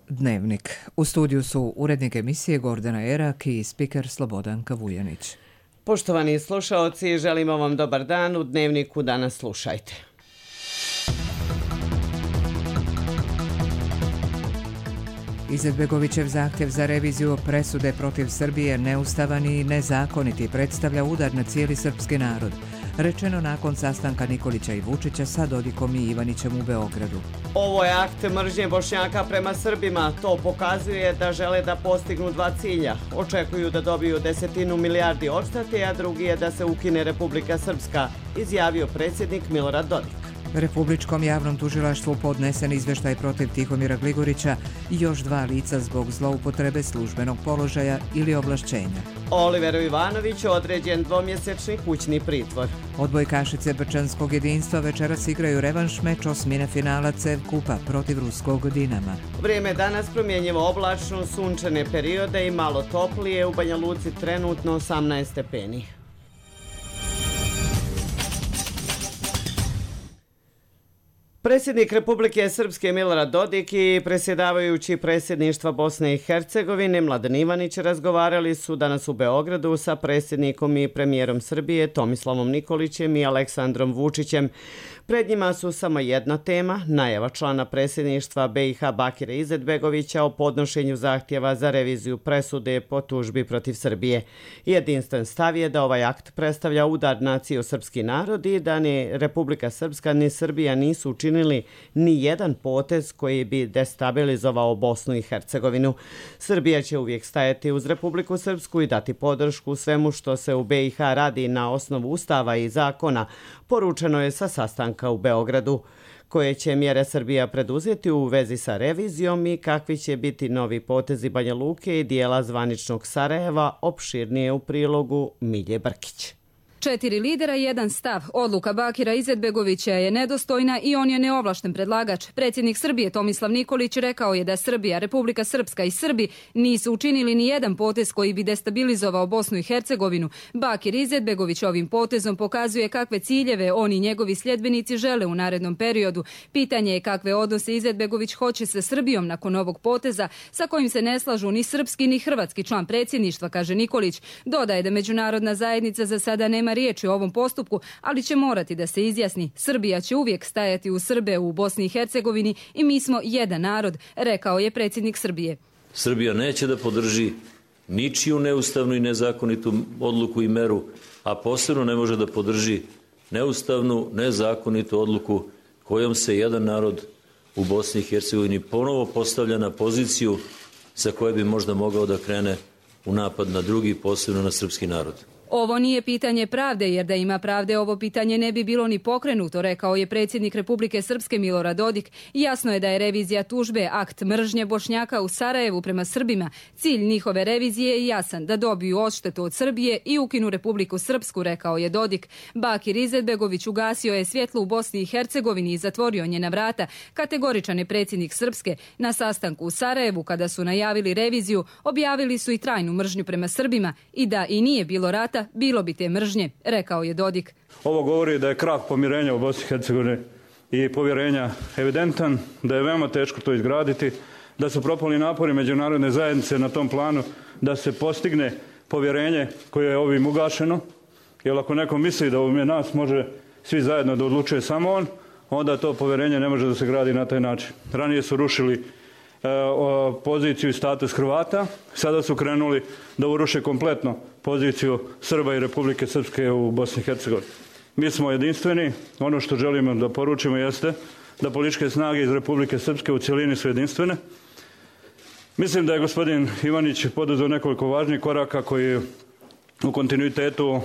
Dnevnik. U studiju su urednik emisije Gordana Erak i spiker Slobodanka Vujanić. Poštovani slušaoci, želimo vam dobar dan. U Dnevniku danas slušajte. Izetbegovićev zahtjev za reviziju presude protiv Srbije neustavan i nezakoniti predstavlja udar na cijeli srpski narod. Rečeno nakon sastanka Nikolića i Vučića sa Dodikom i Ivanićem u Beogradu. Ovo je akt mržnje Bošnjaka prema Srbima. To pokazuje da žele da postignu dva cilja. Očekuju da dobiju 10 milijardi odštete, a drugi je da se ukine Republika Srpska, izjavio predsjednik Milorad Dodik. Republičkom javnom tužilaštvu podnesen izveštaj protiv Tihomira Gligorića i još 2 lica zbog zloupotrebe službenog položaja ili ovlašćenja. Oliveru Ivanoviću određen 2-mjesečni kućni pritvor. Odbojkašice Brčanskog jedinstva večeras igraju revanš meč osmine finala CEV Kupa protiv ruskog Dinama. Vrijeme danas promjenjivo oblačno, sunčane periode i malo toplije, u Banja Luci trenutno 18 stepeni. Predsjednik Republike Srpske Milorad Dodik i predsjedavajući predsjedništva Bosne i Hercegovine Mladen Ivanić razgovarali su danas u Beogradu sa predsjednikom i premijerom Srbije Tomislavom Nikolićem i Aleksandrom Vučićem. Pred njima su samo jedna tema, najava člana predsjedništva BiH Bakira Izetbegovića o podnošenju zahtjeva za reviziju presude po tužbi protiv Srbije. Jedinstven stav je da ovaj akt predstavlja udar na cijeli srpski narod i da ni Republika Srpska ni Srbija nisu učinili ni jedan potez koji bi destabilizovao Bosnu i Hercegovinu. Srbija će uvijek stajati uz Republiku Srpsku i dati podršku svemu što se u BiH radi na osnovu ustava i zakona, poručeno je sa sastanka u Beogradu. Koje će mjere Srbija preduzeti u vezi sa revizijom i kakvi će biti novi potezi Banja Luke i dijela zvaničnog Sarajeva, opširnije u prilogu Milje Brkić. 4 lidera i jedan stav. Odluka Bakira Izetbegovića je nedostojna i on je neovlašten predlagač. Predsjednik Srbije Tomislav Nikolić rekao je da Srbija, Republika Srpska i Srbi nisu učinili ni jedan potez koji bi destabilizovao Bosnu i Hercegovinu. Bakir Izetbegović ovim potezom pokazuje kakve ciljeve on i njegovi sljedbenici žele u narednom periodu. Pitanje je kakve odnose Izetbegović hoće sa Srbijom nakon ovog poteza, sa kojim se ne slažu ni srpski ni hrvatski član predsjedništva, kaže Nikolić. Dodaje da međunarodna zajednica za sada nema riječi o ovom postupku, ali će morati da se izjasni. Srbija će uvijek stajati uz Srbe u Bosni i Hercegovini i mi smo jedan narod, rekao je predsjednik Srbije. Srbija neće da podrži ničiju neustavnu i nezakonitu odluku i meru, a posebno ne može da podrži neustavnu, nezakonitu odluku kojom se jedan narod u Bosni i Hercegovini ponovo postavlja na poziciju sa koje bi možda mogao da krene u napad na drugi, posebno na srpski narod. Ovo nije pitanje pravde, jer da ima pravde ovo pitanje ne bi bilo ni pokrenuto, rekao je predsjednik Republike Srpske Milorad Dodik. Jasno je da je revizija tužbe akt mržnje Bošnjaka u Sarajevu prema Srbima. Cilj njihove revizije je jasan, da dobiju odštetu od Srbije i ukinu Republiku Srpsku, rekao je Dodik. Bakir Izetbegović ugasio je svjetlo u Bosni i Hercegovini i zatvorio njena vrata. Kategoričan je predsjednik Srpske. Na sastanku u Sarajevu, kada su najavili reviziju, objavili su i trajnu mržnju prema Srbima i da i nije bilo rata, bilo bi te mržnje, rekao je Dodik. Ovo govori da je krah pomirenja u Bosni i Hercegovini i povjerenja evidentan, da je veoma teško to izgraditi, da su propali napori međunarodne zajednice na tom planu da se postigne povjerenje koje je ovim ugašeno. Jer ako neko misli da umje nas može svi zajedno da odlučuje samo on, onda to povjerenje ne može da se gradi na taj način. Ranije su rušili poziciju i status Hrvata, sada su krenuli da uruše kompletno poziciju Srba i Republike Srpske u Bosni i Hercegovini. Mi smo jedinstveni, ono što želimo da poručimo jeste da političke snage iz Republike Srpske u cjelini su jedinstvene. Mislim da je gospodin Ivanić poduzeo nekoliko važnih koraka koji u kontinuitetu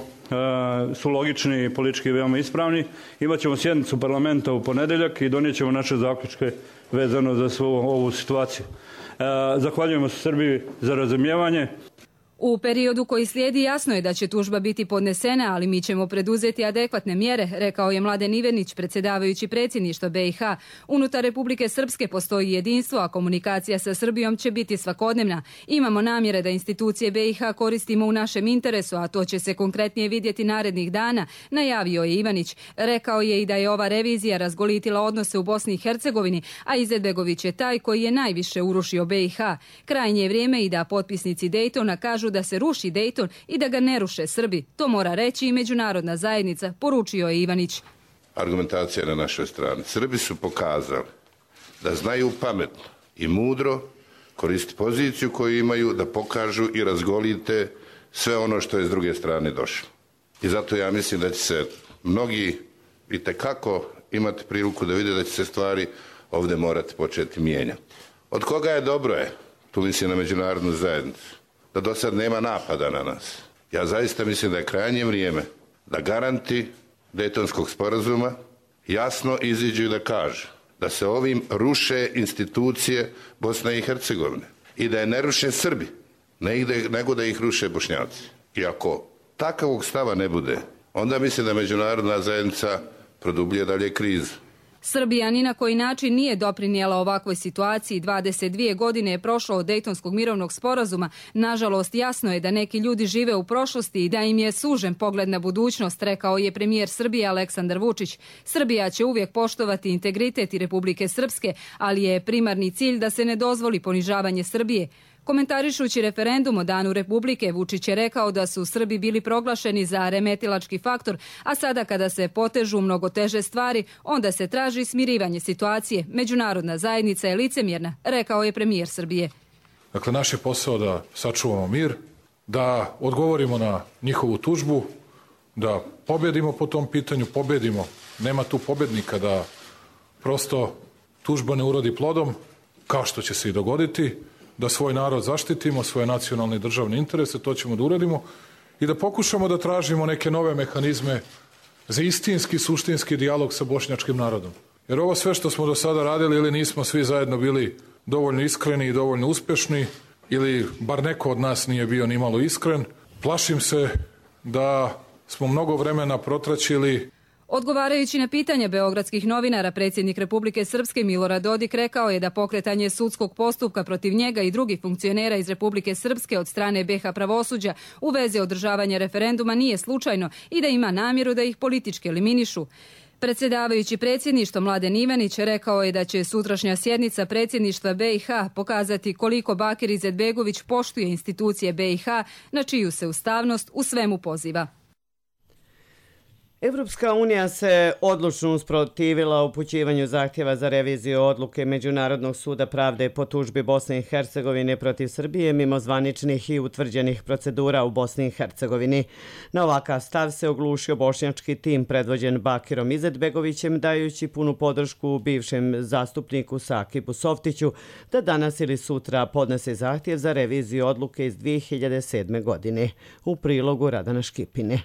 su logični i politički veoma ispravni. Imaćemo sjednicu parlamenta u ponedjeljak i donijet ćemo naše zaključke vezano za svu ovu situaciju. Zahvaljujemo se Srbiji za razumijevanje. U periodu koji slijedi jasno je da će tužba biti podnesena, ali mi ćemo preduzeti adekvatne mjere, rekao je Mladen Ivanić, predsjedavajući predsjedništva BiH. Unutar Republike Srpske postoji jedinstvo, a komunikacija sa Srbijom će biti svakodnevna. Imamo namjere da institucije BiH koristimo u našem interesu, a to će se konkretnije vidjeti narednih dana, najavio je Ivanić. Rekao je i da je ova revizija razgolitila odnose u Bosni i Hercegovini, a Izetbegović je taj koji je najviše urušio BiH. Krajnje je vrijeme i da potpisnici Dejtona kažu da se ruši Dejton i da ga ne ruše Srbi. To mora reći i međunarodna zajednica, poručio je Ivanić. Argumentacija na našoj strani. Srbi su pokazali da znaju pametno i mudro koristiti poziciju koju imaju, da pokažu i razgolite sve ono što je s druge strane došlo. I zato ja mislim da će se mnogi itekako imati priliku da vide da će se stvari ovdje morati početi mijenjati. Od koga je dobro je, tu mislim na međunarodnu zajednicu, da do sad nema napada na nas. Ja zaista mislim da je krajnje vrijeme da garanti Dejtonskog sporazuma jasno iziđu i da kažu da se ovim ruše institucije Bosne i Hercegovine i da je ne ruše Srbi, nego da ih ruše Bošnjaci. I ako takvog stava ne bude, onda mislim da međunarodna zajednica produbljuje dalje krizu. Srbija ni na koji način nije doprinijela ovakvoj situaciji. 22 godine je prošlo od Dejtonskog mirovnog sporazuma. Nažalost, jasno je da neki ljudi žive u prošlosti i da im je sužen pogled na budućnost, rekao je premijer Srbije Aleksandar Vučić. Srbija će uvijek poštovati integritet i Republike Srpske, ali je primarni cilj da se ne dozvoli ponižavanje Srbije. Komentarišući referendum o Danu Republike, Vučić je rekao da su Srbi bili proglašeni za remetilački faktor, a sada kada se potežu mnogo teže stvari, onda se traži smirivanje situacije. Međunarodna zajednica je licemjerna, rekao je premijer Srbije. Dakle, naš je posao da sačuvamo mir, da odgovorimo na njihovu tužbu, da pobjedimo po tom pitanju, pobjedimo. Nema tu pobjednika, da prosto tužba ne urodi plodom, kao što će se i dogoditi, da svoj narod zaštitimo, svoje nacionalne i državne interese, to ćemo da uradimo i da pokušamo da tražimo neke nove mehanizme za istinski, suštinski dijalog sa bošnjačkim narodom. Jer ovo sve što smo do sada radili, ili nismo svi zajedno bili dovoljno iskreni i dovoljno uspješni, ili bar neko od nas nije bio ni malo iskren, plašim se da smo mnogo vremena protraćili. Odgovarajući na pitanja beogradskih novinara, predsjednik Republike Srpske Milorad Dodik rekao je da pokretanje sudskog postupka protiv njega i drugih funkcionera iz Republike Srpske od strane BiH pravosuđa u vezi održavanja referenduma nije slučajno i da ima namjeru da ih politički eliminišu. Predsjedavajući predsjedništvo Mladen Ivanić rekao je da će sutrašnja sjednica predsjedništva BiH pokazati koliko Bakir Izetbegović poštuje institucije BiH, na čiju se ustavnost u svemu poziva. Evropska unija se odlučno usprotivila upućivanju zahtjeva za reviziju odluke Međunarodnog suda pravde po tužbi Bosne i Hercegovine protiv Srbije mimo zvaničnih i utvrđenih procedura u Bosni i Hercegovini. Na ovakav stav se oglušio bošnjački tim predvođen Bakirom Izetbegovićem, dajući punu podršku bivšem zastupniku Sakibu Softiću da danas ili sutra podnese zahtjev za reviziju odluke iz 2007. godine. U prilogu Radana Škipine.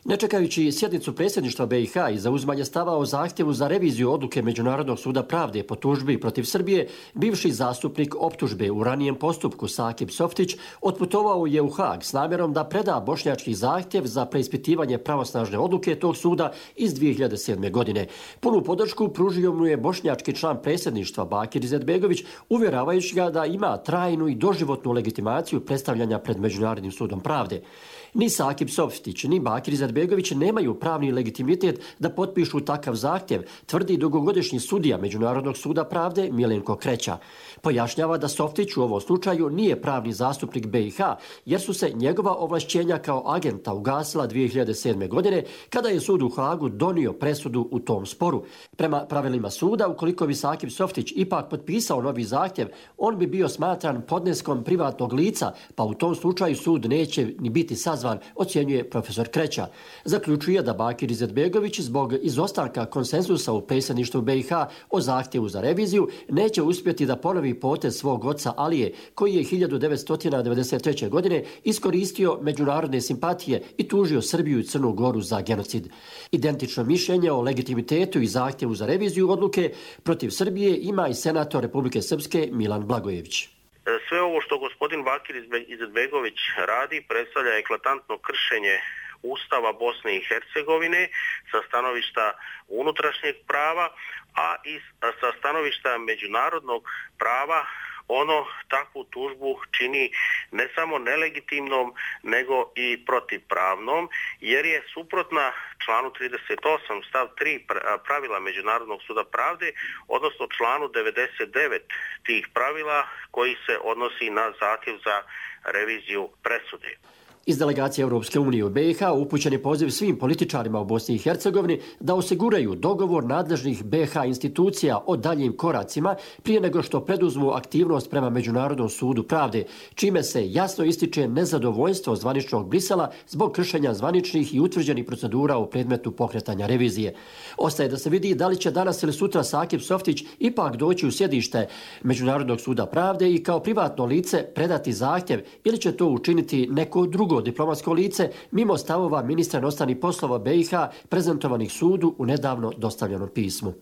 Ne čekajući sjednicu predsjedništva BiH i zauzimanje stava o zahtjevu za reviziju odluke Međunarodnog suda pravde po tužbi protiv Srbije, bivši zastupnik optužbe u ranijem postupku Sakib Softić otputovao je u Haag s namjerom da preda bošnjački zahtjev za preispitivanje pravosnažne odluke tog suda iz 2007. godine. Punu podršku pružio mu je bošnjački član predsjedništva Bakir Izetbegović, uvjeravajući ga da ima trajnu i doživotnu legitimaciju predstavljanja pred Međunarodnim sudom pravde. Ni Sakib Softić, ni Bakir Izetbegović nemaju pravni legitimitet da potpišu takav zahtjev, tvrdi dugogodišnji sudija Međunarodnog suda pravde Milenko Kreća. Pojašnjava da Softić u ovom slučaju nije pravni zastupnik BiH, jer su se njegova ovlašćenja kao agenta ugasila 2007. godine, kada je sud u Haagu donio presudu u tom sporu. Prema pravilima suda, ukoliko bi Sakib Softić ipak potpisao novi zahtjev, on bi bio smatran podneskom privatnog lica, pa u tom slučaju sud neće ni biti sazvan, ocjenjuje profesor Kreća. Zaključuje da Bakir Izetbegović zbog izostanka konsenzusa u predsjedništvu BiH o zahtjevu za reviziju neće uspjeti da ponovi potez svog oca Alije, koji je 1993. godine iskoristio međunarodne simpatije i tužio Srbiju i Crnu Goru za genocid. Identično mišljenje o legitimitetu i zahtjevu za reviziju odluke protiv Srbije ima i senator Republike Srpske Milan Blagojević. Sve Sve ovo što gospodin Bakir Izetbegović radi predstavlja eklatantno kršenje Ustava Bosne i Hercegovine sa stanovišta unutrašnjeg prava, a i sa stanovišta međunarodnog prava. Ono takvu tužbu čini ne samo nelegitimnom, nego i protivpravnom, jer je suprotna članu 38 stav 3 pravila Međunarodnog suda pravde, odnosno članu 99 tih pravila koji se odnosi na zahtjev za reviziju presude. Iz delegacije Europske unije u BiH upućen je poziv svim političarima u Bosni i Hercegovini da osiguraju dogovor nadležnih BiH institucija o daljim koracima prije nego što preduzmu aktivnost prema Međunarodnom sudu pravde, čime se jasno ističe nezadovoljstvo zvaničnog Brisela zbog kršenja zvaničnih i utvrđenih procedura u predmetu pokretanja revizije. Ostaje da se vidi da li će danas ili sutra Sakip Softić ipak doći u sjedište Međunarodnog suda pravde i kao privatno lice predati zahtjev ili će to učiniti neko drugo diplomatsko lice mimo stavova ministra inostranih poslova BiH prezentovanih sudu u nedavno dostavljenom pismu.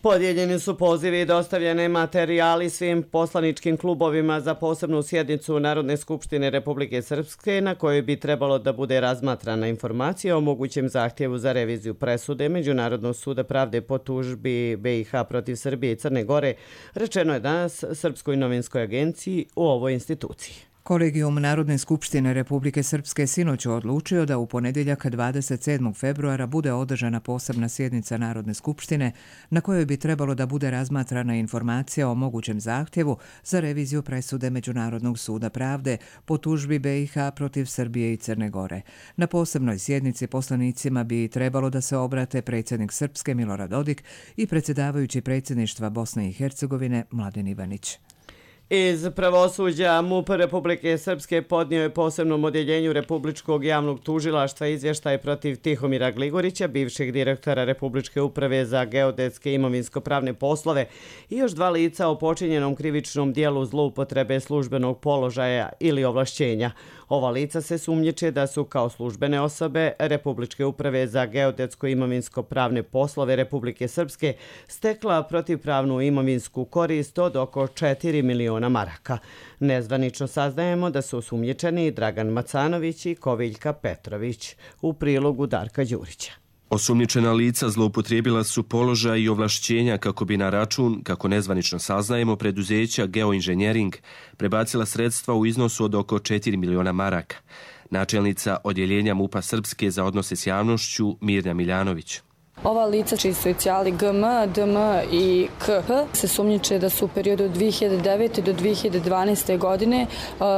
Podijeljeni su pozivi i dostavljene materijali svim poslaničkim klubovima za posebnu sjednicu Narodne skupštine Republike Srpske na kojoj bi trebalo da bude razmatrana informacija o mogućem zahtjevu za reviziju presude Međunarodnog suda pravde po tužbi BiH protiv Srbije i Crne Gore, rečeno je danas Srpskoj novinskoj agenciji u ovoj instituciji. Kolegijum Narodne skupštine Republike Srpske sinoć odlučio da u ponedjeljak 27. februara bude održana posebna sjednica Narodne skupštine na kojoj bi trebalo da bude razmatrana informacija o mogućem zahtjevu za reviziju presude Međunarodnog suda pravde po tužbi BiH protiv Srbije i Crne Gore. Na posebnoj sjednici poslanicima bi trebalo da se obrate predsjednik Srpske Milorad Dodik i predsjedavajući predsjedništva Bosne i Hercegovine Mladen Ivanić. Iz pravosuđa MUP Republike Srpske podnio je posebnom odjeljenju Republičkog javnog tužilaštva izvještaj protiv Tihomira Gligorića, bivšeg direktora Republičke uprave za geodetske i imovinsko-pravne poslove i još 2 lica o počinjenom krivičnom dijelu zloupotrebe službenog položaja ili ovlašćenja. Ova lica se sumnjiče da su kao službene osobe Republičke uprave za geodetsko i imovinsko-pravne poslove Republike Srpske stekla protivpravnu imovinsku korist od oko 4 miliona maraka. Nezvanično saznajemo da su osumnjičeni Dragan Macanović i Koviljka Petrović, u prilogu Darka Đurića. Osumnjičena lica zloupotrijebila su položaj i ovlašćenja kako bi na račun, kako nezvanično saznajemo, preduzeća Geoinženjering prebacila sredstva u iznosu od oko 4 miliona maraka. Načelnica odjeljenja MUP-a Srpske za odnose s javnošću Mirna Miljanović. Ova lica, čiji su inicijali GM, DM i KP, se sumnjiče da su u periodu 2009. do 2012. godine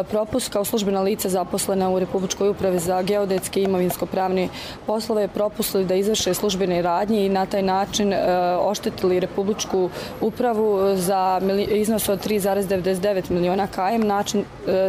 propust kao službena lica zaposlena u Republičkoj upravi za geodetske i imovinsko-pravne poslove propustili da izvrše službene radnje i na taj način oštetili Republičku upravu za iznos od 3,99 miliona KM,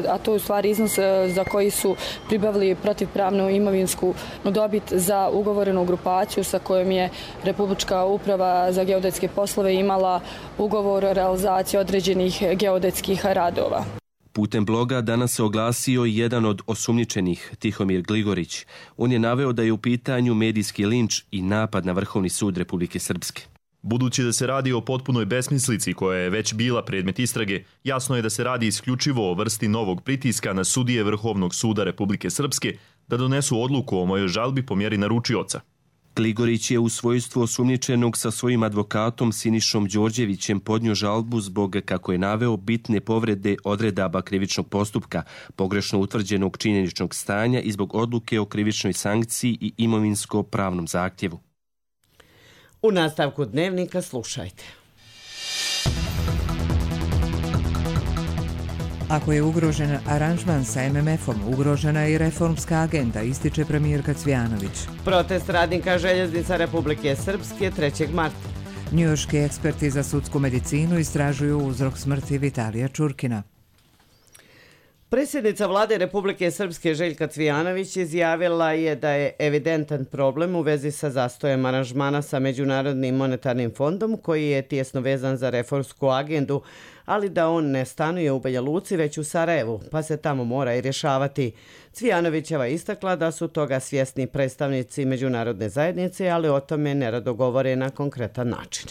a to je u stvari iznos za koji su pribavili protivpravnu imovinsku dobit za ugovorenu grupaciju sa kojom je Republička uprava za geodetske poslove imala ugovor o realizaciji određenih geodetskih radova. Putem bloga danas se oglasio jedan od osumnjičenih, Tihomir Gligorić. On je naveo da je u pitanju medijski linč i napad na Vrhovni sud Republike Srpske. Budući da se radi o potpunoj besmislici koja je već bila predmet istrage, jasno je da se radi isključivo o vrsti novog pritiska na sudije Vrhovnog suda Republike Srpske da donesu odluku o mojoj žalbi po mjeri naručioca. Gligorić je u svojstvu osumnjičenog sa svojim advokatom Sinišom Đorđevićem podnio žalbu zbog, kako je naveo, bitne povrede odredaba krivičnog postupka, pogrešno utvrđenog činjeničnog stanja i zbog odluke o krivičnoj sankciji i imovinsko-pravnom zahtjevu. U nastavku dnevnika slušajte. Ako je ugrožen aranžman sa MMF-om, ugrožena je i reformska agenda, ističe premijerka Cvijanović. Protest radnika željeznica Republike Srpske 3. marta. Njujorški eksperti za sudsku medicinu istražuju uzrok smrti Vitalija Čurkina. Predsjednica vlade Republike Srpske Željka Cvijanović izjavila je da je evidentan problem u vezi sa zastojem aranžmana sa Međunarodnim monetarnim fondom koji je tijesno vezan za reformsku agendu, ali da on ne stanuje u Banja Luci već u Sarajevu, pa se tamo mora i rješavati. Cvijanovićeva istakla da su toga svjesni predstavnici međunarodne zajednice, ali o tome nerado govore na konkretan način.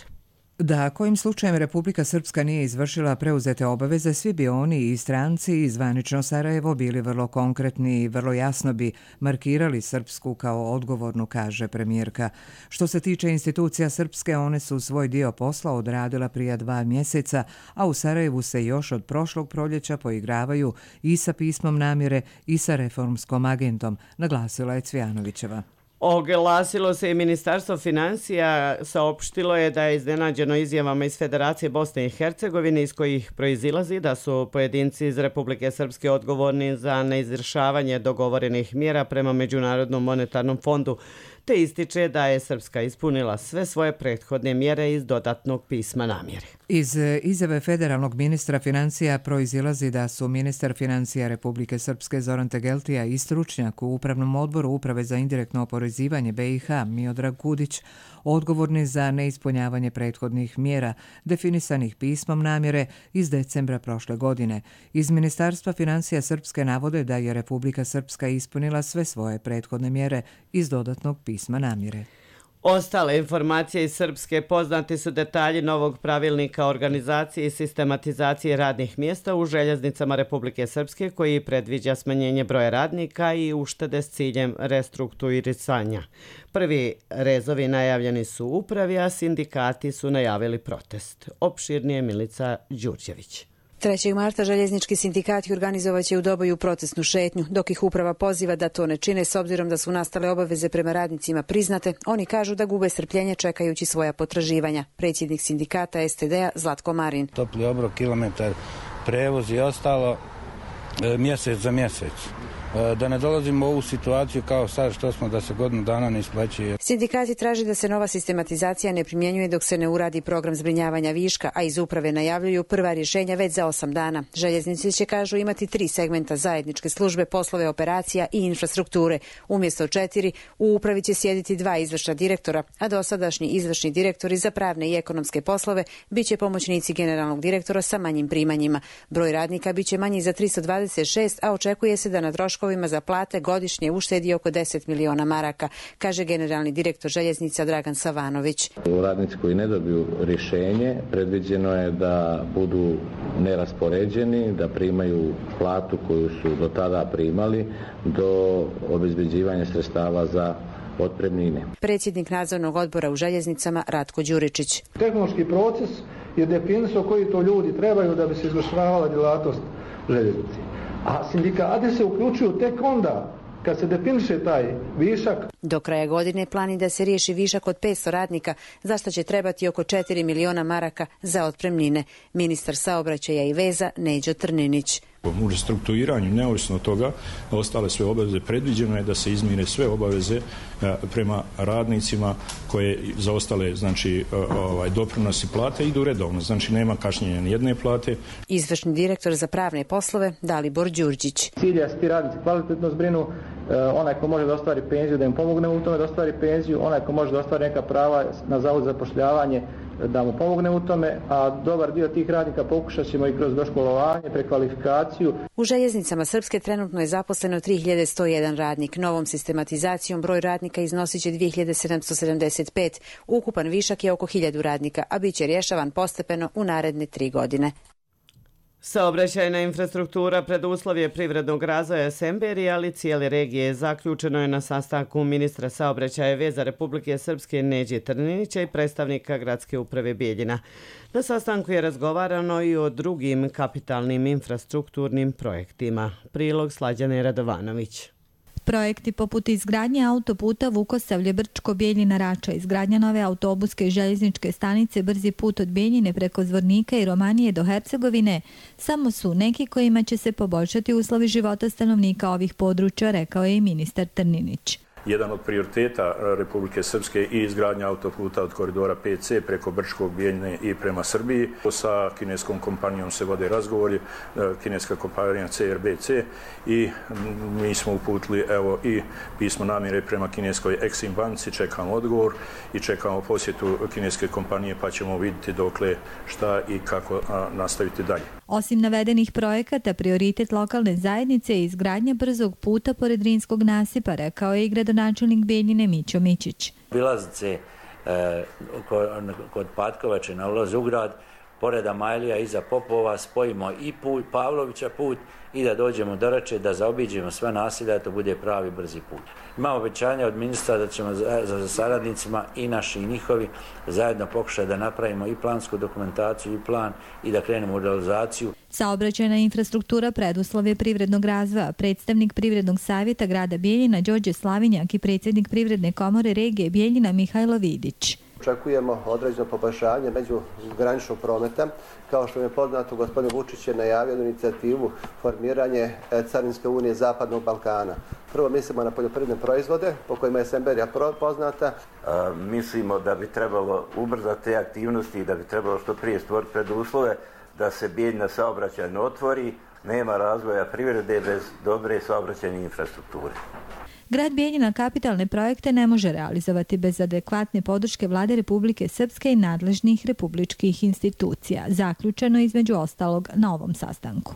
Da kojim slučajem Republika Srpska nije izvršila preuzete obaveze, svi bi oni i stranci i zvanično Sarajevo bili vrlo konkretni i vrlo jasno bi markirali Srpsku kao odgovornu, kaže premijerka. Što se tiče institucija Srpske, one su svoj dio posla odradila prije 2 mjeseca, a u Sarajevu se još od prošlog proljeća poigravaju i sa pismom namjere i sa reformskom agentom, naglasila je Cvijanovićeva. Oglasilo se i Ministarstvo financija, saopštilo je da je iznenađeno izjavama iz Federacije Bosne i Hercegovine iz kojih proizilazi da su pojedinci iz Republike Srpske odgovorni za neizvršavanje dogovorenih mjera prema Međunarodnom monetarnom fondu, te ističe da je Srpska ispunila sve svoje prethodne mjere iz dodatnog pisma namjere. Iz izjave federalnog ministra financija proizilazi da su ministar financija Republike Srpske Zoran Tegeltija i stručnjak u Upravnom odboru Uprave za indirektno oporezivanje BiH Miodrag Kudić odgovorni za neispunjavanje prethodnih mjera definisanih pismom namjere iz decembra prošle godine. Iz Ministarstva financija Srpske navode da je Republika Srpska ispunila sve svoje prethodne mjere iz dodatnog pisma namjere. Ostale informacije iz Srpske: poznati su detalji novog pravilnika o organizaciji i sistematizaciji radnih mjesta u željeznicama Republike Srpske koji predviđa smanjenje broja radnika i uštede s ciljem restrukturiranja. Prvi rezovi najavljeni su u upravi, a sindikati su najavili protest. Opširnije Milica Đurđević. 3. marta željeznički sindikati organizovaće u Doboju protestnu šetnju. Dok ih uprava poziva da to ne čine s obzirom da su nastale obaveze prema radnicima priznate, oni kažu da gube strpljenje čekajući svoja potraživanja. Predsjednik sindikata STD-a Zlatko Marin. Topli obrok, kilometar, prevoz i ostalo mjesec za mjesec. Da ne dolazimo u ovu situaciju kao sad što smo da se godinu dana ne isplaćuje. Sindikati traži da se nova sistematizacija ne primjenjuje dok se ne uradi program zbrinjavanja viška, a iz uprave najavljuju prva rješenja već za 8 dana. Željeznici će, kažu, imati 3 segmenta zajedničke službe, poslove operacija i infrastrukture. Umjesto 4, u upravi će sjediti 2 izvršna direktora, a dosadašnji izvršni direktori za pravne i ekonomske poslove biće pomoćnici generalnog direktora sa manjim primanjima. Broj radnika biće manji za 326, a očekuje se da na troškovima za plate godišnje uštedi oko 10 miliona maraka, kaže generalni direktor željeznica Dragan Savanović. Radnici koji ne dobiju rješenje, predviđeno je da budu neraspoređeni, da primaju platu koju su do tada primali do obezbeđivanja sredstava za otpremnine. Predsjednik nadzornog odbora u željeznicama Ratko Đuričić. Tehnološki proces je definisao koji to ljudi trebaju da bi se izvršavala djelatnost željeznici. A sindikati se uključuju tek onda kad se definiše taj višak. Do kraja godine plani da se riješi višak od 500 radnika, za što će trebati oko 4 miliona maraka za otpremnine. Ministar saobraćaja i veza Neđo Trninić. U restrukturiranju, neovisno od toga, ostale sve obaveze, predviđeno je da se izmire sve obaveze prema radnicima koje za ostale, znači, doprinosi plate idu redovno, znači nema kašnjenja ni jedne plate. Izvršni direktor za pravne poslove Dalibor Đurđić. Cilj je da se ti radnici kvalitetno zbrinu, onaj ko može da ostvari penziju da im pomogne u tome da ostvari penziju, onaj ko može da ostvari neka prava na zavod za zapošljavanje da mu pomogne u tome, a dobar dio tih radnika pokušat ćemo i kroz doškolovanje, prekvalifikaciju. U željeznicama Srpske trenutno je zaposleno 3101 radnik. Novom sistematizacijom broj radnika iznosit će 2775. Ukupan višak je oko 1000 radnika, a bit će rješavan postepeno u naredne 3 godine. Saobraćajna infrastruktura preduslov je privrednog razvoja Semberije, ali cijele regije. Zaključeno je na sastanku ministra saobraćaja i veza Republike Srpske Neđe Trninića i predstavnika gradske uprave Bijeljina. Na sastanku je razgovarano i o drugim kapitalnim infrastrukturnim projektima. Prilog Slađane Radovanović. Projekti poput izgradnje autoputa Vukosavlje-Brčko-Bijeljina-Rača, izgradnja nove autobuske i željezničke stanice, brzi put od Bijeljine preko Zvornika i Romanije do Hercegovine, samo su neki kojima će se poboljšati uslovi života stanovnika ovih područja, rekao je i ministar Trninić. Jedan od prioriteta Republike Srpske i izgradnja autoputa od koridora 5C preko Brčkog, Bijeljine i prema Srbiji. Sa kineskom kompanijom se vode razgovori, kineska kompanija CRBC, i mi smo uputili i pismo namjere prema kineskoj Exim banci, čekamo odgovor i čekamo posjetu kineske kompanije, pa ćemo vidjeti dokle šta i kako nastaviti dalje. Osim navedenih projekata, prioritet lokalne zajednice je izgradnja brzog puta pored Drinskog nasipa, rekao je i gradonačelnik Bijeljine Mićo Mićić. Obilaznice kod Patkovače na ulazu u grad, pored Amajlija iza Popova, spojimo i put, Pavlovića put i da dođemo do Rače, da zaobiđemo sve naselja, da to bude pravi brzi put. Imamo obećanje od ministra da ćemo za saradnicima i naši i njihovi zajedno pokušati da napravimo i plansku dokumentaciju i plan i da krenemo u realizaciju. Saobraćajna infrastruktura preduslov je privrednog razvoja. Predstavnik Privrednog savjeta grada Bijeljina Đorđe Slavinjak i predsjednik Privredne komore regije Bijeljina Mihajlo Vidić. Očekujemo određeno poboljšanje međugraničnog prometa. Kao što je poznato, gospodin Vučić je najavio inicijativu formiranje Carinske unije Zapadnog Balkana. Prvo mislimo na poljoprivredne proizvode, po kojima je Semberija poznata. Mislimo da bi trebalo ubrzati te aktivnosti i da bi trebalo što prije stvoriti preduslove da se Bijeljina saobraćajno otvori. Nema razvoja privrede bez dobre saobraćajne infrastrukture. Grad Bijeljina kapitalne projekte ne može realizovati bez adekvatne podrške Vlade Republike Srpske i nadležnih republičkih institucija. Zaključeno između ostalog na ovom sastanku.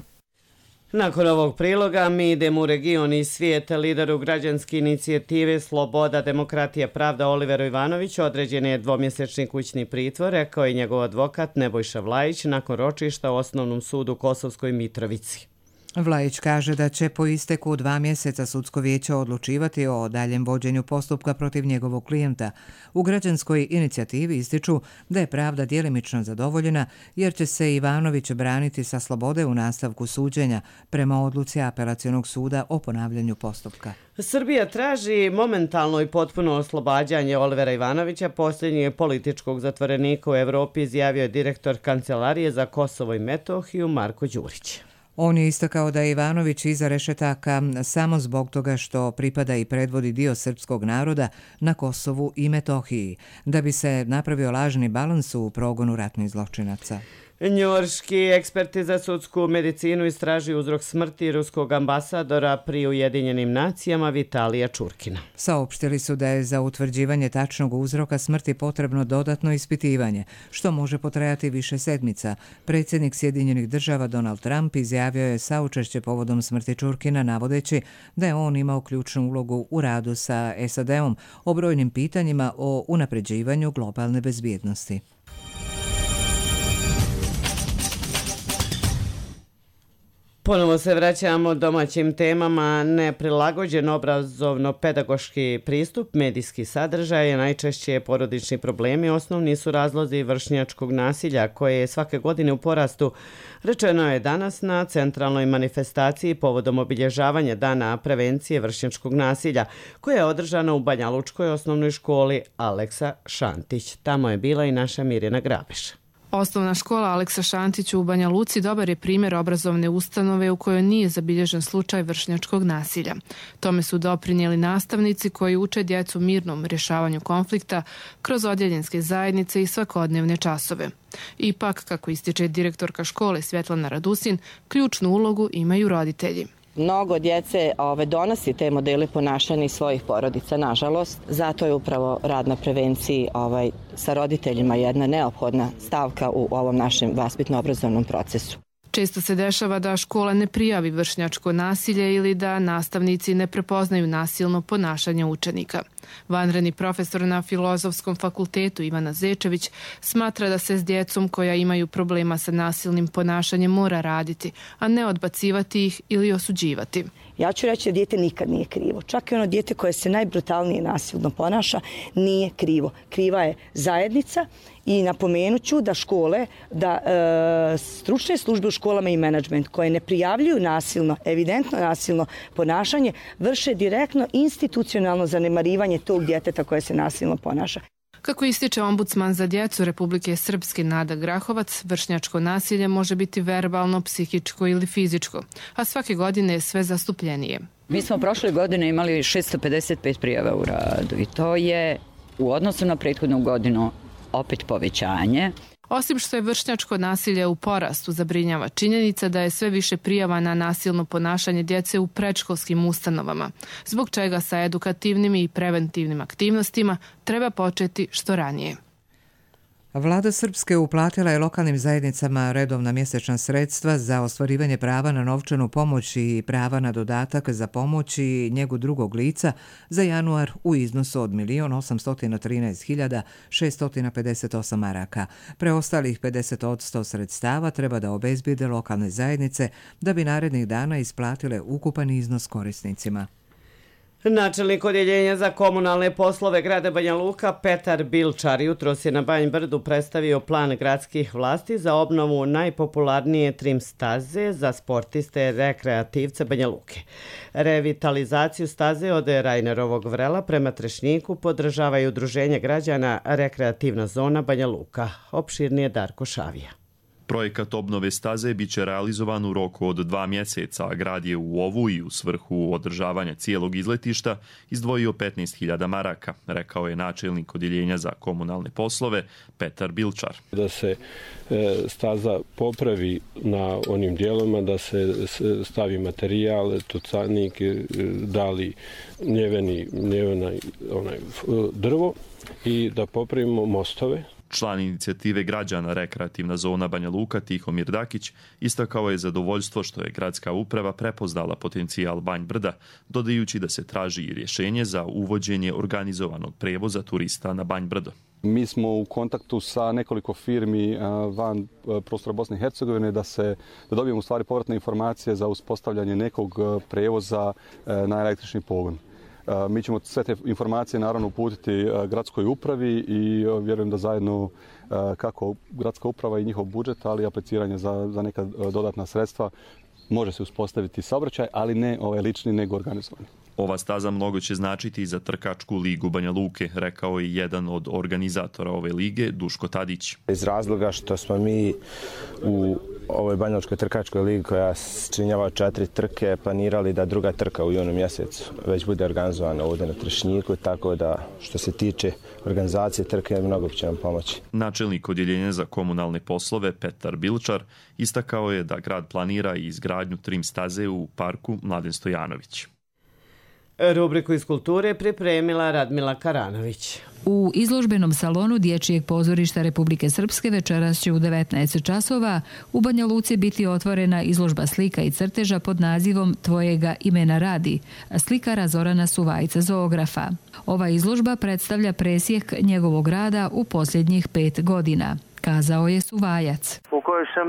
Nakon ovog priloga mi idemo u region i svijet. Lideru građanske inicijative Sloboda, demokratija, pravda Oliveru Ivanoviću određen je dvomjesečni kućni pritvor, rekao je njegov advokat Nebojša Vlajić nakon ročišta u Osnovnom sudu u Kosovskoj Mitrovici. Vlajić kaže da će po isteku 2 mjeseca sudsko vijeće odlučivati o daljem vođenju postupka protiv njegovog klijenta. U građanskoj inicijativi ističu da je pravda djelimično zadovoljena jer će se Ivanović braniti sa slobode u nastavku suđenja prema odluci apelacionog suda o ponavljanju postupka. Srbija traži momentalno i potpuno oslobađanje Olivera Ivanovića, posljednjeg političkog zatvorenika u Evropi, izjavio je direktor Kancelarije za Kosovo i Metohiju Marko Đurić. On je istakao da je Ivanović iza rešetaka samo zbog toga što pripada i predvodi dio srpskog naroda na Kosovu i Metohiji, da bi se napravio lažni balans u progonu ratnih zločinaca. Njujorški eksperti za sudsku medicinu istražuju uzrok smrti ruskog ambasadora pri Ujedinjenim nacijama Vitalija Čurkina. Saopštili su da je za utvrđivanje tačnog uzroka smrti potrebno dodatno ispitivanje, što može potrajati više sedmica. Predsjednik Sjedinjenih država Donald Trump izjavio je saučešće povodom smrti Čurkina, navodeći da je on imao ključnu ulogu u radu sa SAD-om o brojnim pitanjima o unapređivanju globalne bezbjednosti. Ponovo se vraćamo domaćim temama. Neprilagođen obrazovno-pedagoški pristup, medijski sadržaj, najčešće porodični problemi osnovni su razlozi vršnjačkog nasilja koje je svake godine u porastu. Rečeno je danas na centralnoj manifestaciji povodom obilježavanja Dana prevencije vršnjačkog nasilja koja je održana u Banja Lučkoj osnovnoj školi Aleksa Šantić. Tamo je bila i naša Mirjana Grabiša. Osnovna škola Aleksa Šantić u Banja Luci dobar je primjer obrazovne ustanove u kojoj nije zabilježen slučaj vršnjačkog nasilja. Tome su doprinijeli nastavnici koji uče djecu mirnom rješavanju konflikta kroz odjeljenske zajednice i svakodnevne časove. Ipak, kako ističe direktorka škole Svjetlana Radusin, ključnu ulogu imaju roditelji. Mnogo djece donosi te modele ponašanja iz svojih porodica, nažalost. Zato je upravo rad na prevenciji sa roditeljima jedna neophodna stavka u ovom našem vaspitno-obrazovnom procesu. Često se dešava da škola ne prijavi vršnjačko nasilje ili da nastavnici ne prepoznaju nasilno ponašanje učenika. Vanredni profesor na Filozofskom fakultetu Ivana Zečević smatra da se s djecom koja imaju problema sa nasilnim ponašanjem mora raditi, a ne odbacivati ih ili osuđivati. Ja ću reći da dijete nikad nije krivo. Čak i ono dijete koje se najbrutalnije nasilno ponaša nije krivo. Kriva je zajednica i napomenut ću da škole, da stručne službe u školama i menadžment koje ne prijavljuju nasilno, evidentno nasilno ponašanje, vrše direktno institucionalno zanemarivanje tog djeteta koje se nasilno ponaša. Kako ističe ombudsman za djecu Republike Srpske Nada Grahovac, vršnjačko nasilje može biti verbalno, psihičko ili fizičko, a svake godine je sve zastupljenije. Mi smo prošle godine imali 655 prijava u radu i to je u odnosu na prethodnu godinu opet povećanje. Osim što je vršnjačko nasilje u porastu, zabrinjava činjenica da je sve više prijava na nasilno ponašanje djece u predškolskim ustanovama, zbog čega sa edukativnim i preventivnim aktivnostima treba početi što ranije. Vlada Srpske uplatila je lokalnim zajednicama redovna mjesečna sredstva za ostvarivanje prava na novčanu pomoć i prava na dodatak za pomoć i njegu drugog lica za januar u iznosu od 1.813.658 maraka. Preostalih 50% sredstava treba da obezbijede lokalne zajednice da bi narednih dana isplatile ukupan iznos korisnicima. Načelnik odjeljenja za komunalne poslove grada Banja Luka Petar Bilčar jutros je na Banj Brdu predstavio plan gradskih vlasti za obnovu najpopularnije trim staze za sportiste rekreativce Banja Luke. Revitalizaciju staze od Rajnerovog vrela prema Trešnjiku podržava i udruženje građana Rekreativna zona Banja Luka. Opširnije Darko Šavija. Projekat obnove staze biće realizovan u roku od 2 mjeseca, a grad je u ovu i u svrhu održavanja cijelog izletišta izdvojio 15.000 maraka, rekao je načelnik odjeljenja za komunalne poslove Petar Bilčar. Da se staza popravi na onim dijelovima, da se stavi materijal, tucanik, dali njevena drvo i da popravimo mostove. Član inicijative građana Rekreativna zona Banja Luka Tihomir Dakić istakao je zadovoljstvo što je gradska uprava prepoznala potencijal Banj Brda, dodajući da se traži i rješenje za uvođenje organizovanog prevoza turista na Banj Brdo. Mi smo u kontaktu sa nekoliko firmi van prostora Bosne i Hercegovine da dobijemo u stvari povratne informacije za uspostavljanje nekog prevoza na električni pogon. Mi ćemo sve te informacije naravno uputiti gradskoj upravi i vjerujem da zajedno kako gradska uprava i njihov budžet, ali i apliciranje za neka dodatna sredstva može se uspostaviti saobraćaj, ali ne lični nego organizovani. Ova staza mnogo će značiti za trkačku ligu Banja Luke, rekao je jedan od organizatora ove lige, Duško Tadić. Iz razloga što smo mi u ovoj banjalučkoj trkačkoj ligi koja činjava 4 trke planirali da druga trka u junu mjesecu već bude organizovana ovdje na Trešnjiku, tako da što se tiče organizacije trke mnogo će nam pomoći. Načelnik odjeljenja za komunalne poslove Petar Bilčar istakao je da grad planira i izgradnju trim staze u parku Mladen Stojanović. Rubriku iz kulture pripremila Radmila Karanović. U izložbenom salonu Dječjeg pozorišta Republike Srpske večeras će u 19 časova u Banja Luci biti otvorena izložba slika i crteža pod nazivom Tvojega imena radi, slikara Zorana Suvajca zoografa. Ova izložba predstavlja presjek njegovog rada u posljednjih 5 godina, kazao je Suvajac. U kojoj sam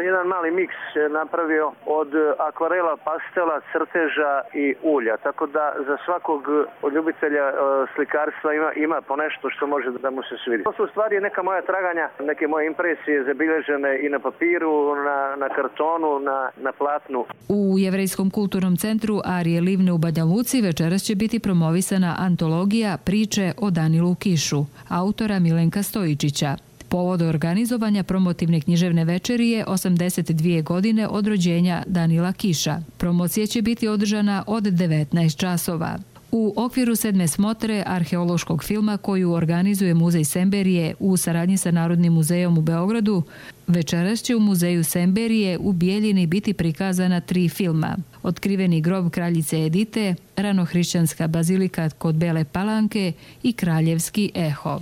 jedan mali miks napravio od akvarela, pastela, crteža i ulja. Tako da za svakog od ljubitelja slikarstva ima ponešto što može da mu se svidi. To su u stvari neka moja traganja, neke moje impresije zabilježene i na papiru, na kartonu, na platnu. U Jevrejskom kulturnom centru Arije Livne u Banja Luci večeras će biti promovisana antologija Priče o Danilu Kišu, autora Milenka Stojičića. Povod organizovanja promotivne književne večeri je 82 godine od rođenja Danila Kiša. Promocija će biti održana od 19 časova. U okviru 7. smotre arheološkog filma koju organizuje Muzej Semberije u saradnji sa Narodnim muzejom u Beogradu, večeras će u Muzeju Semberije u Bijeljini biti prikazana 3 filma. Otkriveni grob kraljice Edite, Ranohrišćanska bazilika kod Bele Palanke i Kraljevski eho.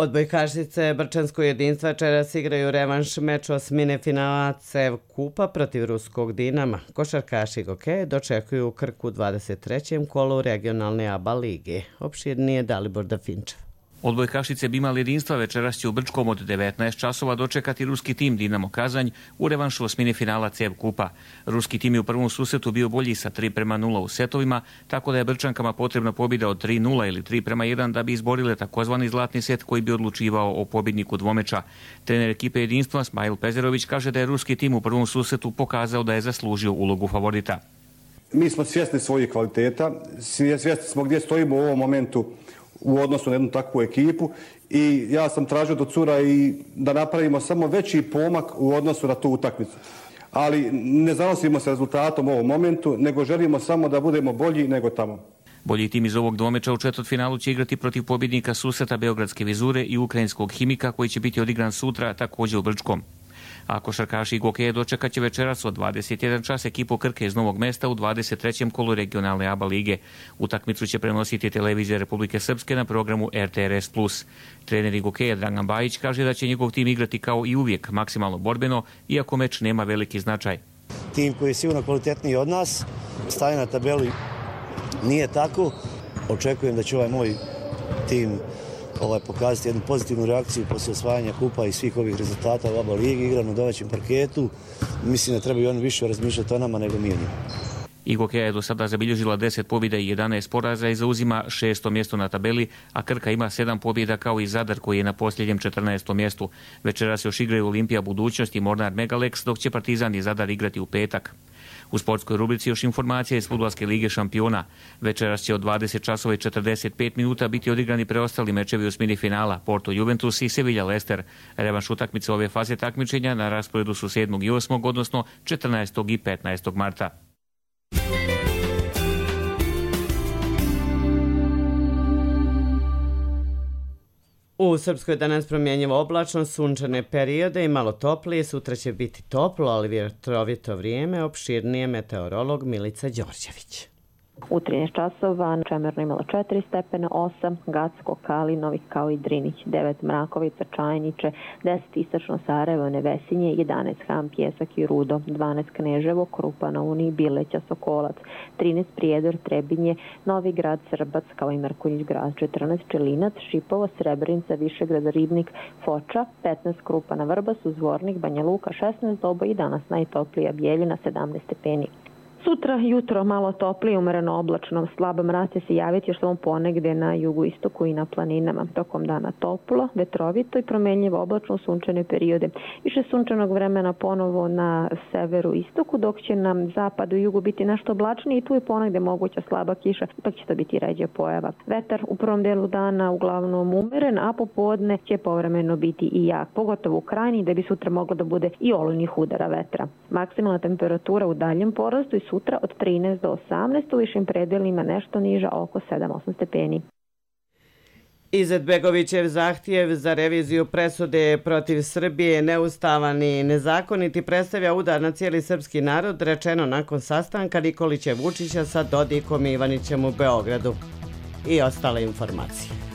Odbojkašice Brčanskog jedinstva večeras igraju revanš meč osmine finala CEV Kupa protiv ruskog Dinama. Košarkaši Gokeje dočekuju u Krku u 23. kolu regionalne ABA lige. Opširnije Dalibor Dafinčev. Odbojkašice Bimal jedinstva večeras će u Brčkom od 19 časova dočekati ruski tim Dinamo Kazanj u revanšu osmine finala CEV Kupa. Ruski tim je u prvom susretu bio bolji sa 3:0 u setovima, tako da je Brčankama potrebna pobjeda od 3:0 ili 3:1 da bi izborile takozvani zlatni set koji bi odlučivao o pobjedniku dvomeča. Trener ekipe jedinstva Smajl Pezerović kaže da je ruski tim u prvom susretu pokazao da je zaslužio ulogu favorita. Mi smo svjesni svojih kvaliteta, svjesni smo gdje stojimo u ovom momentu u odnosu na jednu takvu ekipu i ja sam tražio do cura i da napravimo samo veći pomak u odnosu na tu utakmicu. Ali ne zanosimo se rezultatom u ovom momentu, nego želimo samo da budemo bolji nego tamo. Bolji tim iz ovog dvomeča u četvrtfinalu će igrati protiv pobjednika susreta Beogradske Vizure i ukrajinskog Himika koji će biti odigran sutra također u Brčkom. A košarkaši Igokeje dočekat će večeras od 21 čas ekipu Krke iz Novog Mesta u 23. kolu regionalne ABA lige. Utakmicu će prenositi televizija Republike Srpske na programu RTRS+. Trener Igokeje Dragan Bajić kaže da će njegov tim igrati kao i uvijek maksimalno borbeno, iako meč nema veliki značaj. Tim koji je sigurno kvalitetniji od nas, staje na tabeli nije tako. Očekujem da će ovaj moj tim pokazati jednu pozitivnu reakciju poslije osvajanja kupa i svih ovih rezultata u ABA ligi, igra na domaćem parketu. Mislim da trebaju oni više razmišljati o nama nego mi o njima. Igokeja je do sada zabilježila 10 pobjeda i 11 poraza i zauzima 6. mjesto na tabeli, a Krka ima 7 pobjeda kao i Zadar koji je na posljednjem 14. mjestu. Večeras još igraju Olimpija Budućnost i Mornar Megalex, dok će Partizan i Zadar igrati u petak. U sportskoj rubrici još informacija iz Fudbalske lige šampiona. Večeras će od 20 časova i 45 minuta biti odigrani preostali mečevi osmini finala Porto Juventus i Sevilla Leicester. Revanš utakmice ove faze takmičenja na rasporedu su 7. i 8. odnosno 14. i 15. marta. U Srpskoj danas promjenjivo oblačno, sunčane periode i malo toplije. Sutra će biti toplo, ali vjetrovito vrijeme. Opširnije meteorolog Milica Đorđević. U 13 časova Čemerno imalo 4 stepena, 8 Gacko, Kalinović kao i Drinić, 9 Mrakovica, Čajniče, 10 Istočno Sarajevo, Nevesinje, 11 Ham, Pjesak i Rudo, 12 Kneževo, Krupa na Uniji, Bileća, Sokolac, 13 Prijedor, Trebinje, Novi Grad, Srbac kao i Mrkonjić grad, 14 Čelinac, Šipovo, Srebrenica, Višegrad, Ribnik, Foča, 15 Krupa na Vrbasu, Zvornik, Banja Luka, 16 Doboj i danas najtoplija Bijeljina, 17 stepeni. Sutra jutro malo toplije, umereno oblačno, slab mraz će se javiti još samo ponegde na jugoistoku i na planinama. Tokom dana toplo, vetrovito i promenljivo oblačno sunčane periode. Više sunčanog vremena ponovo na severu istoku, dok će nam zapadu i jugu biti nešto oblačnije i tu je ponegde moguća slaba kiša, ipak će to biti ređa pojava. Vetar u prvom delu dana uglavnom umeren, a popodne će povremeno biti i jak, pogotovo u krajini, da bi sutra moglo da bude i olujnih udara vetra. Maksimalna temperatura u daljem porastu i sutra od 13 do 18, u višim predelima nešto niža, oko 7-8 stepeni. Izetbegovićev zahtjev za reviziju presude protiv Srbije neustavan i nezakoniti predstavlja udar na cijeli srpski narod, rečeno nakon sastanka Nikolića i Vučića sa Dodikom i Ivanićem u Beogradu. I ostale informacije.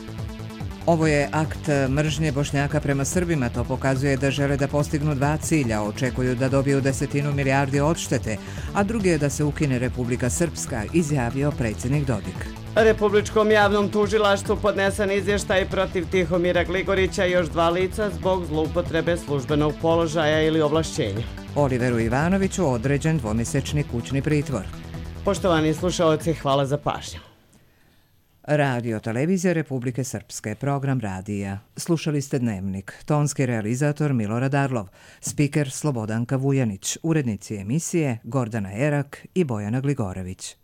Ovo je akt mržnje Bošnjaka prema Srbima. To pokazuje da žele da postignu dva cilja. Očekuju da dobiju 10 milijardi odštete, a drugi je da se ukine Republika Srpska, izjavio predsjednik Dodik. Republičkom javnom tužilaštvu podnesen izvještaj protiv Tihomira Gligorića i još 2 lica zbog zloupotrebe službenog položaja ili ovlašćenja. Oliveru Ivanoviću određen 2-mjesečni kućni pritvor. Poštovani slušaoci, hvala za pažnju. Radio Televizija Republike Srpske, program radija. Slušali ste Dnevnik, tonski realizator Milorad Arlov, spiker Slobodanka Vujanić, urednici emisije Gordana Erak i Bojana Gligorević.